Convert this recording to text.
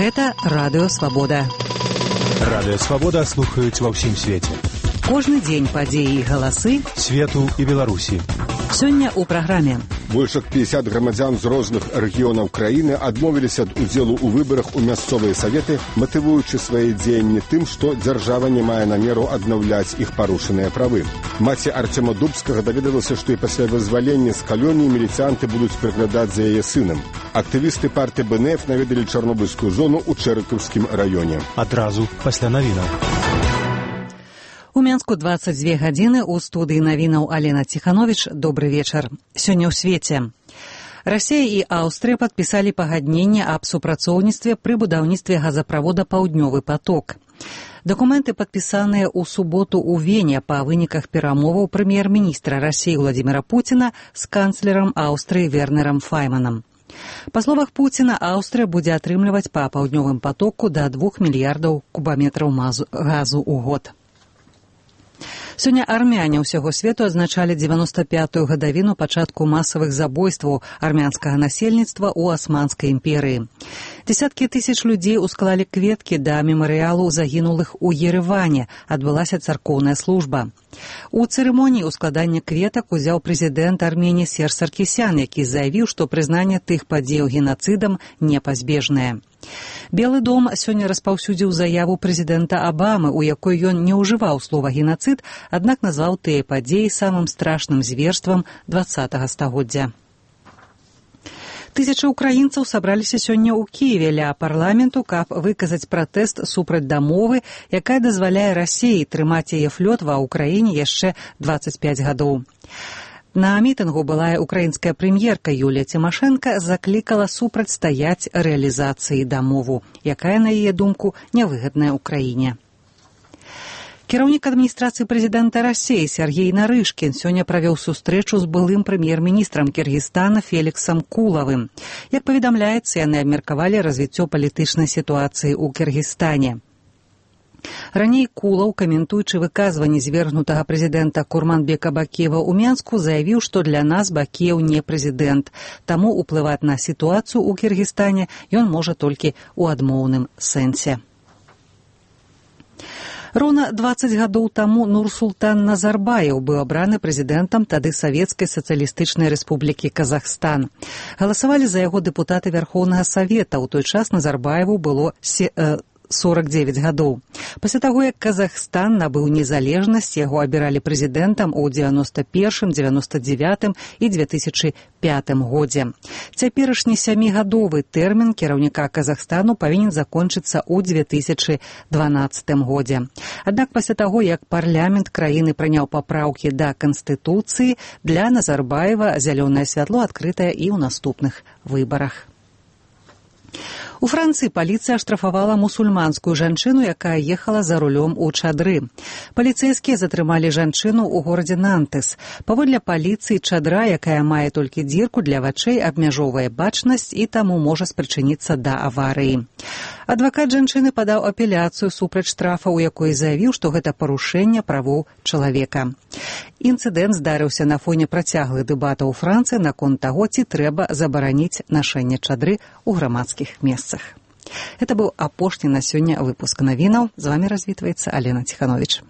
Гэта Радыё Свабода. Радыё Свабода слухаюць ва ўсім свеце. Кожны дзень падзеі і галасы свету і Беларусі. Сёння ў праграме. Больш як 50 грамадзян з розных рэгіёнаў краіны адмовіліся ад удзелу ў выбарах у мясцовыя саветы, матывуючы свае дзеянні тым, што дзяржава не мае намеру аднаўляць іх парушаныя правы. Маці Арцёма Дубскага даведалася, што і пасля вызвалення з калоніі міліцыянты будуць прыглядаць за яе сынам. Актывісты партыі БНФ наведалі Чарнобыльскую зону ў Чэрыкаўскім раёне. Адразу пасля навінаў. У Менску 22 гадзіны, у студыі навінаў Алена Ціхановіч. Добры вечар. Сёння ў свеце. Расія і Аўстрыя падпісалі пагадненне аб супрацоўніцтве пры будаўніцтве газаправода «Паўднёвы поток». Дакументы падпісаныя ў суботу ў Вене па выніках перамоваў прэм'ер-міністра Расіі Владзіміра Пуціна з канцлерам Аўстрыі Вернерам Файманам. Па словах Пуціна, Аўстрыя будзе атрымліваць па «Паўднёвым потоку» да 2 мільярдаў кубаметраў газу ў год. Сёння армяне ўсяго свету адзначалі 95-ю гадавіну пачатку масавых забойстваў армянскага насельніцтва ў Асманскай імперыі. Дзесяткі тысяч людзей усклалі кветкі да мемарыялу загінулых у Ерэване. Адбылася царкоўная служба. У цырымоніі ускладання кветак узяў прэзідэнт Арменіі Серж Саркісян, які заявіў, што прызнанне тых падзеяў генацыдам непазбежнае. Белы дом сёння распаўсюдзіў заяву прэзідэнта Абамы, у якой ён не ўжываў слова «генацыд», аднак назваў тыя падзеі самым страшным зверствам 20-га стагоддзя. Тысячы ўкраінцаў сабраліся сёння ў Кіеве ля парламенту, каб выказаць пратэст супраць дамовы, якая дазваляе Расіі трымаць яе флёт ва ўкраіне яшчэ 25 гадоў. На мітынгу былая украінская прэм'ерка Юлія Цімашэнка заклікала супрацьстаяць рэалізацыі дамову, якая, на яе думку, нявыгадная ўкраіне. Кіраўнік адміністрацыі прэзідэнта Расіі Сергей Нарышкін сёння правёў сустрэчу з былым прэм'ер-міністрам Кіргізстана Феліксам Кулавым. Як паведамляецца, яны абмеркавалі развіццё палітычнай сітуацыі ў Кіргізстане. Раней Кулаў, каментуючы выказванні звергнутага прэзідэнта Курманбека Бакіева ў Менску, заявіў, што для нас Бакіеў не прэзідэнт, таму ўплываць на сітуацыю ў Кіргізстане ён можа толькі ў адмоўным сэнсе. Роўна 20 гадоў таму Нурсултан Назарбаев быў абраны прэзідэнтам тады Савецкай сацыялістычнай рэспублікі Казахстан. Галасавалі за яго дэпутаты Вярхоўнага Савета. У той час Назарбаеву было 49 гадоў. Пасля таго, як Казахстан набыў незалежнасць, яго абіралі прэзідэнтам у 91, 99 і 2005 годзе. Цяперашні 7-гадовы тэрмін кіраўніка Казахстану павінен закончыцца ў 2012 годзе. Аднак пасля таго, як парламент краіны прыняў папраўкі да Канстытуцыі, для Назарбаева зялёнае святло адкрытае і ў наступных выбарах. У Францыі паліцыя аштрафавала мусульманскую жанчыну, якая ехала за рулём у чадры. Паліцэйскія затрымалі жанчыну ў горадзе Нантес. Паводле паліцыі, чадра, якая мае толькі дзірку для вачэй, абмяжоўвае бачнасць і таму можа спрычыніцца да аварыі. Адвакат жанчыны падаў апеляцыю супраць штрафа, у якой заявіў, што гэта парушэнне правоў чалавека. Інцыдэнт здарыўся на фоне працяглых дэбатаў у Францыі наконт таго, ці трэба забараніць нашэнне чадры ў грамадскіх месцах. Гэта быў апошні на сёння выпуск навінаў. З вамі развітваецца Алена Ціхановіч.